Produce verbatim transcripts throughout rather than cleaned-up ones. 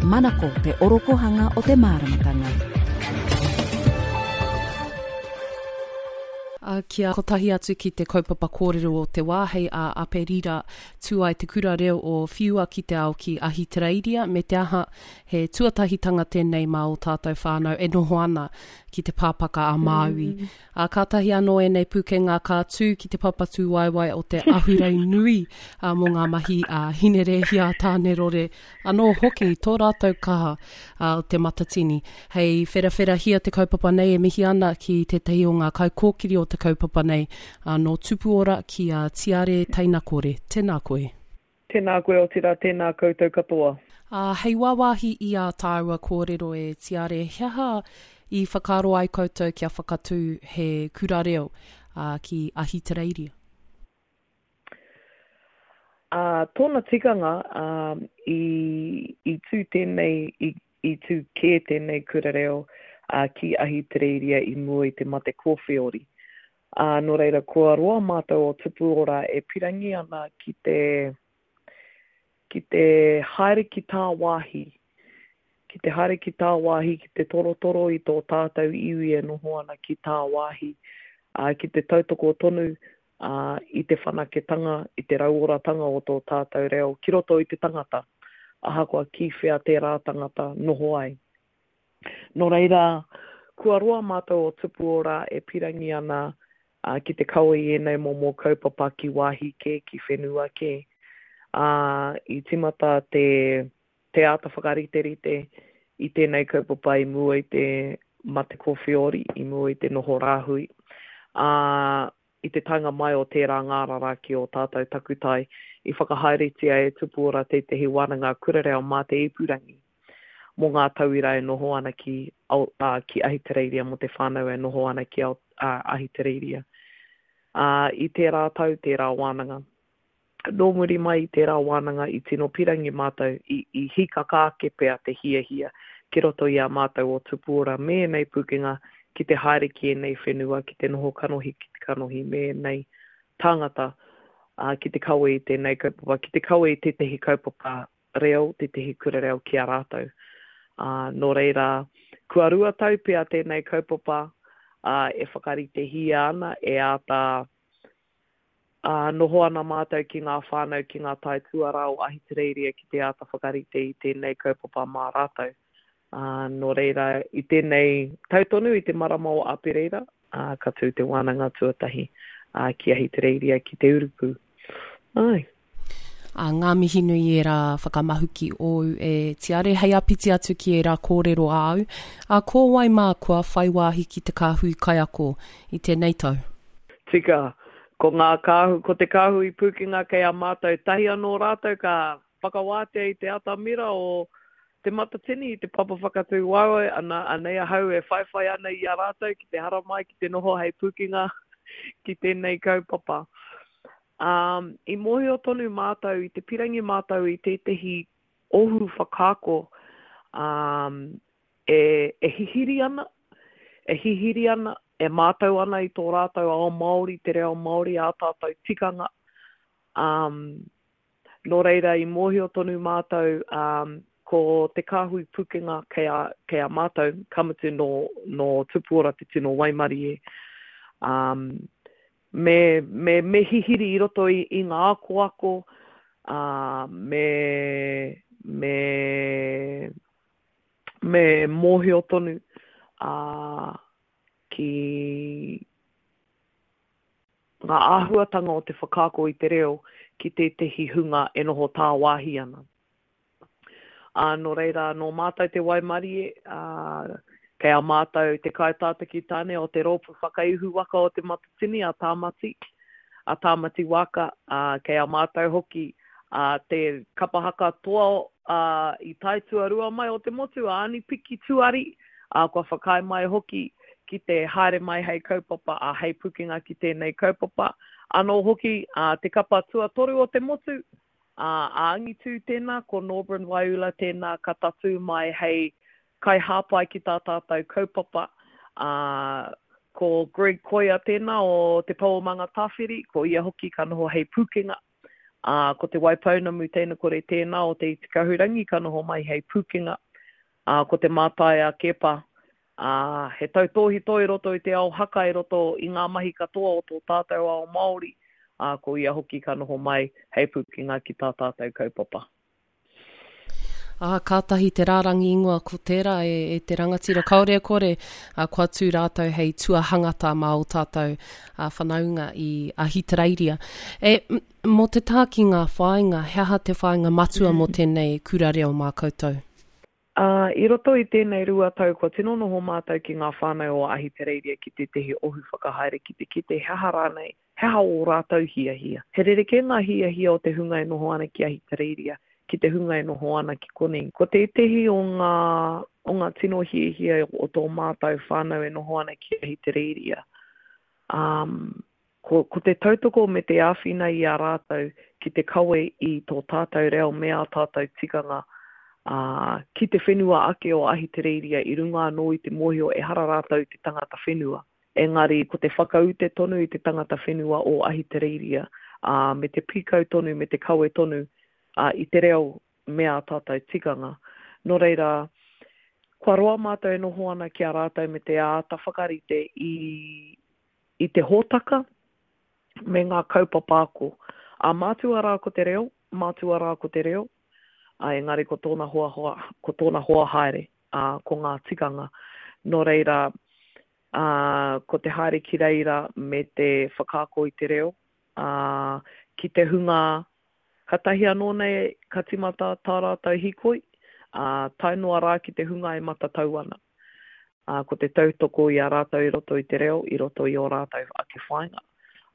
Manako te orokohanga o te māramatanga. A, kia kotahi atu ki te kaupapa kōrero o te wā hei a Aperira tū ai te kura reo o Whiua ki te ao ki Ahitereiria me te aha he tuatahitanga tēnei mā o tātou whānau e noho ana ki te pāpaka a Māui. Mm. A, kātahi anō ēnei pūkenga ka tū ki te papa tūwaewae o te ahurei nui a, mō ngā mahi a Hinerēhia Tānerore anō hoki tō rātou kaha a, o te Matatini. Hei wherawherahia te kaupapa nei e mihi ana ki tētahi o ngā kaikōkiri o te kaupapa nei a, nō Tupuora ki a Tiare Teinakore. Tēnā koe. Tēnā koe otirā, tēnā koutou katoa. Uh, hei wāwāhi i a tāua kōrero e Tiare, he aha i whakaaro ai koutou kia whakatū he kura reo uh, ki Ahitereiria? Uh, tōna tikanga uh, i, i tū tēnei, i, i tū kē tēnei kura reo uh, ki Ahitereiria i mua i te mate kōwheori. Uh, nō reira, kua roa mātou o Tupuora e pirangi ana ki te, ki te haere ki tāwāhi, ki te haere ki tāwāhi, ki te torotoro i tō tātou iwi e noho ana ki tāwāhi, uh, ki te tautoko tonu uh, i te whanaketanga, i te rauoratanga o tō tātou reo, ki roto i te tangata, ahakoa ki whea tērā tangata noho ai. Nō reira, kua roa mātou o Tupuora e pirangi ana uh, ki te kawe i ēnei momo kaupapa ki wāhi kē, ki whenua kē. Uh, i timata te, te āta whakariterite i tēnei kaupapa i mua i te mate kōwheori, i mua i te noho rāhui. Uh, i te taenga mai o tērā ngārara ki o tātou takutai, i whakahaeretia e Tupuora tētehi wānanga kura reo mā te ipurangi mō ngā tauira e noho ana ki, uh, ki Ahitereiria, mō te whānau e noho ana ki uh, Ahitereiria. Uh, i tērā tau, tērā wānanga. Nō muri mai i tērā wānanga i tino pirangi mātou, i, i hikaka ake pea te hiahia ki roto i a mātou o Tupuora me ēnei pūkenga ki te haere ki ēnei whenua, ki te noho kanohi ki te kanohi me ēnei tāngata uh, ki te kawe i tēnei kaupapa, ki te kawe i tētehi kaupapa reo, tētehi kura reo ki a rātou. Uh, nō reira, kua rua tau pea tēnei kaupapa uh, e whakaritehia ana, e āta uh, noho ana mātou ki ngā whānau, ki ngā taituarā o Ahitereiria ki te āta whakarite i tēnei kaupapa mā rātou. Uh, nō reira, i tēnei tau tonu i te marama o Apereira, uh, ka tū te wānanga tuatahi uh, ki Ahitereiria ki te urupu. Ai. A ngā mihi nui ērā whakamahuki ōu e Tiare, hei apiti atu ki ērā kōrero āu. A ko wai mā kua whai wāhi ki te kāhui kaiako i tēnei tau? Tika, ko ngā kāhu, ko te kāhui pūkenga kei a mātou tahi anō rātou ka whakawātea i te atamira o te Matatini i te papa whakatū waewae, ana, anei ahau e whaiwhai ana i a rātou ki te haramai, ki te noho hei pūkenga ki tēnei kaupapa. Um, i mōhio tonu mātou, i te pirangi mātou i tētehi ohu whakaako um, e, e hihiri ana, e hihiri ana, e mātau ana i tō rātou ao Māori, te reo Māori, ā tātou tikanga. Um, nō reira, i mōhio tonu mātou um, ko te kāhui pūkenga kei a, kei a mātou, ka mutu nō, nō Tupuora te tino waimarie. Um, me, me, me hihiri i roto i, i ngā akoako, uh, me, me, me mōhio tonu uh, ki ngā āhuatanga o te whakaako i te reo ki tētehi hunga e noho tāwāhi ana. Uh, nō reira, nō mātou te waimarie, uh, kei a mātou te kaitātaki tāne o te rōpū whakaihu waka o te Matatini a Tāmati, a Tāmati Waka, uh, kei a mātou hoki uh, te kapahaka toa uh, i taituarua mai o te motu, a Ani Piki Tuari, uh, kua whakaae mai hoki ki te haere mai hei kaupapa, a hei pukenga ki tēnei kaupapa. Anō hoki, uh, te kapa tuatoru o te motu, uh, a Angitu tēnā, ko Norburn Waiula tēnā ka tatū mai hei kai hāpai ki tā tātou kaupapa. Uh, ko Greg Koia tēnā o Te Pou o Mangatāwhiri, ko ia hoki ka noho hei pūkenga Ā, ko Te Waipounamu Teinakore tēnā o Te Iti Kahurangi ka noho mai hei pūkenga. Ā, ko Te Mātai a Keepa, ā, he tautōhito i roto i te ao haka i roto i ngā mahi katoa o tō tātou ao Māori, ā, ko ia hoki ka noho mai hei pūkenga ki tā tātou kaupapa. Ā, kātahi te rārangi ingoa ko tērā e, e te rangatira. Kāore e kore, ā, kua tū rātou hei tuahangata mā ō tātou ā, whanaunga i Ahitereiria. E, mō te tā ki ngā whāinga, he aha te whāinga matua mō tēnei kura reo mā koutou? Ā, i roto i tēnei rua tau kua tino noho mātou ki ngā whānau o Ahitereiria ki tētehi ohu whakahaere ki te kite he aha rānei, he aha ō rātou hiahia. He rerekē ngā hiahia o te hunga e noho ana ki Ahitereiria ki te hunga e noho ana ki konei. Ko tētehi o ngā, o ngā tino hiahia o tō mātou whānau e noho ana ki Ahitereiria, um, ko, ko te tautoko me te āwhina i a rātou ki te kawe i tō tātou reo me ā tātou tikanga ā, ki te whenua ake o Ahitereiria i runga anō i te mōhio ehara rātou i te tangata whenua. Engari ko te whakaute tonu i te tangata whenua o Ahitereiria, ā, me te pīkau tonu, me te kawe tonu ā, i te reo me ā tātou tikanga. Nō reira, kua roa mātou e noho ana ki a rātou me te āta whakarite i, i te hōtaka me ngā kaupapa ako. Ā, mātua rā ko te reo, mātua rā ko te reo, ā, engari ko tōna hoa, hoa, ko tōna hoa haere, ā, ko ngā tikanga. Nō reira, ā, ko te haere ki reira me te whakaako i te reo, ā, ki te hunga Katahi anō nei ka timata tā rātou hīkoi, ā, tae noa rā ki te hunga e matatau ana. Ā, ko te tautoko i a rātou i roto i te reo, i roto i ō rātou ake whāinga,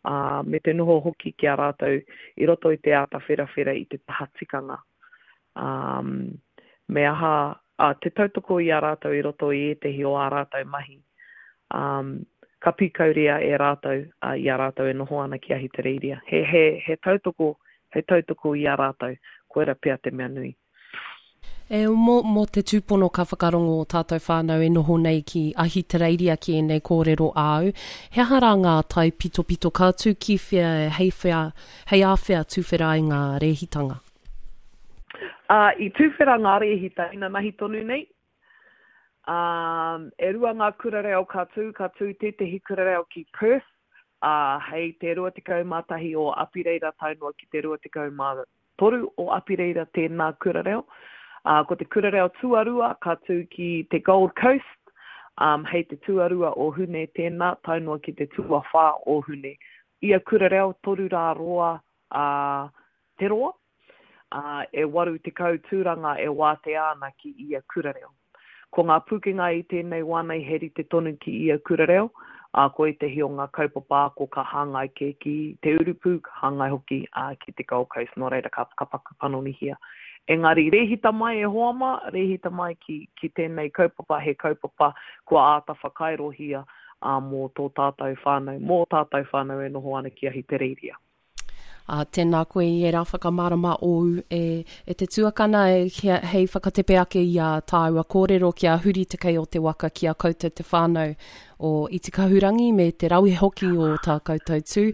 ā, me te noho hoki ki a rātou i roto i te āta wherawhera i te taha tikanga. Ā, me aha, ā, te tautoko i a rātou i roto i ētehi o ā rātou mahi, ā, ka pīkauria e rātou, ā, i a rātou e noho ana ki Ahitereiria. He, he, he tautoko hei tautoko i a rātou, koira pea te mea nui. E, mō, mō te tūpono ka whakarongo o tātou whānau e noho nei ki Ahitereiria ki ēnei kōrero āu, he aha rā ngā taipitopito ka tū ki whea, hei whea, hei āwhea tuwhera ai ngā rēhitanga? Ā, i tuwhera ngā rēhita inanahi tonu nei. Ā, e rua ngā kura reo ka tū, ka tū tētehi kura reo ki Perth, ā, hei te rua tekau mā tahi o Apireira tae noa ki te rua tekau mā toru o Apireira tēnā kura reo. Ā, ko te kura reo tuarua ka tū ki te Gold Coast, ā, hei te tuarua o Hune tēnā tae noa ki te tuawhā o Hune. Ia kura reo toru rā roa, ā, te roa, ā, e waru tekau tūranga e wātea ana ki ia kura reo. Ko ngā pūkenga i tēnei wā nei he rite tonu ki ia kura reo, ā, ko ētehi o ngā kaupapa ako ka hāngai kē ki te urupū, ka hāngai hoki ki te Gold Coast, nō reira ka, ka paku panonihia. Engari, rēhita mai e hoa mā, rēhita mai ki, ki tēnei kaupapa, he kaupapa kua āta whakairohia ā, mō tō tātou whānau, mō tātou whānau e noho ana ki Ahitereiria. Ā, tēnā koe i ērā whakamārama ōu e, e te tuakana e, hei whakatepe ake i ā tāua kōrero kia huri te kei o te waka ki a koutou te whānau o Itikahurangi me te rawe hoki o tā koutou tū.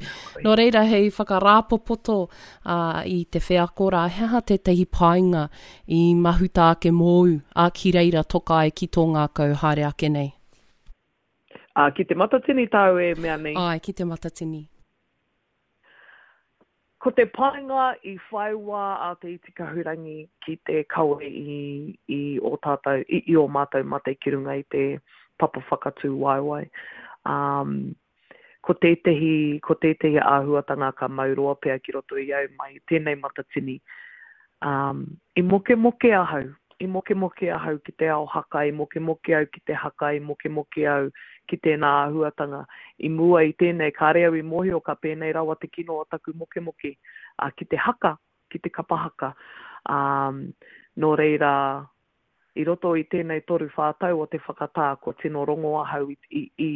Nō reira, hei whakarāpopoto ā, i te wheako rā, he aha tētahi painga i mahuta ake mōu, ā, ki reira toka ai ki tō ngākau haere ake nei? Ā, ki Te Matatini tāu e mea nei? Āe, ki Te Matatini. Ko te painga i whai wā a Te Iti Kahurangi ki te kawe i, i ō tātou, i, i ō mātou mate ki runga i te papa whakatū waewae. Um, ko tētehi, ko tētehi āhuatanga ka mau roa pea ki roto i au mai i tēnei Matatini. Um, i mokemoke ahau, i mokemoke ahau ki te ao haka, i mokemoke au ki te haka, i mokemoke au ki tēnā āhuatanga. I mua i tēnei, kāre au i mōhio ka pēnei rawa te kino o taku mokemoke uh, ki te haka, ki te kapa haka. Um, nō reira, i roto i tēnei toru whā tau o te whakatā, kua tino rongo ahau i, i, i,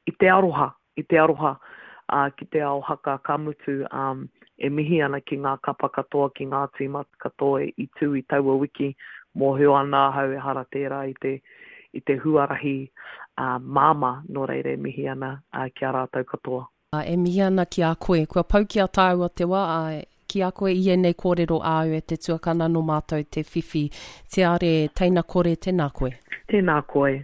i te aroha, i te aroha uh, ki te ao haka, ka mutu um, e mihi ana ki ngā kapa katoa, ki ngā tīma katoa i tū i taua wiki, mōhio ana ahau ehara tērā i te, i te huarahi uh, māmā, nō reira e mihi ana uh, ki a rātou katoa. E mihi ana ki a koe, kua pau ki a tāua te wā, ki a koe i ēnei kōrero āu e te tuakana nō mātou te whiwhi. Tiare, teina kore, tēnā koe. Tēnā koe.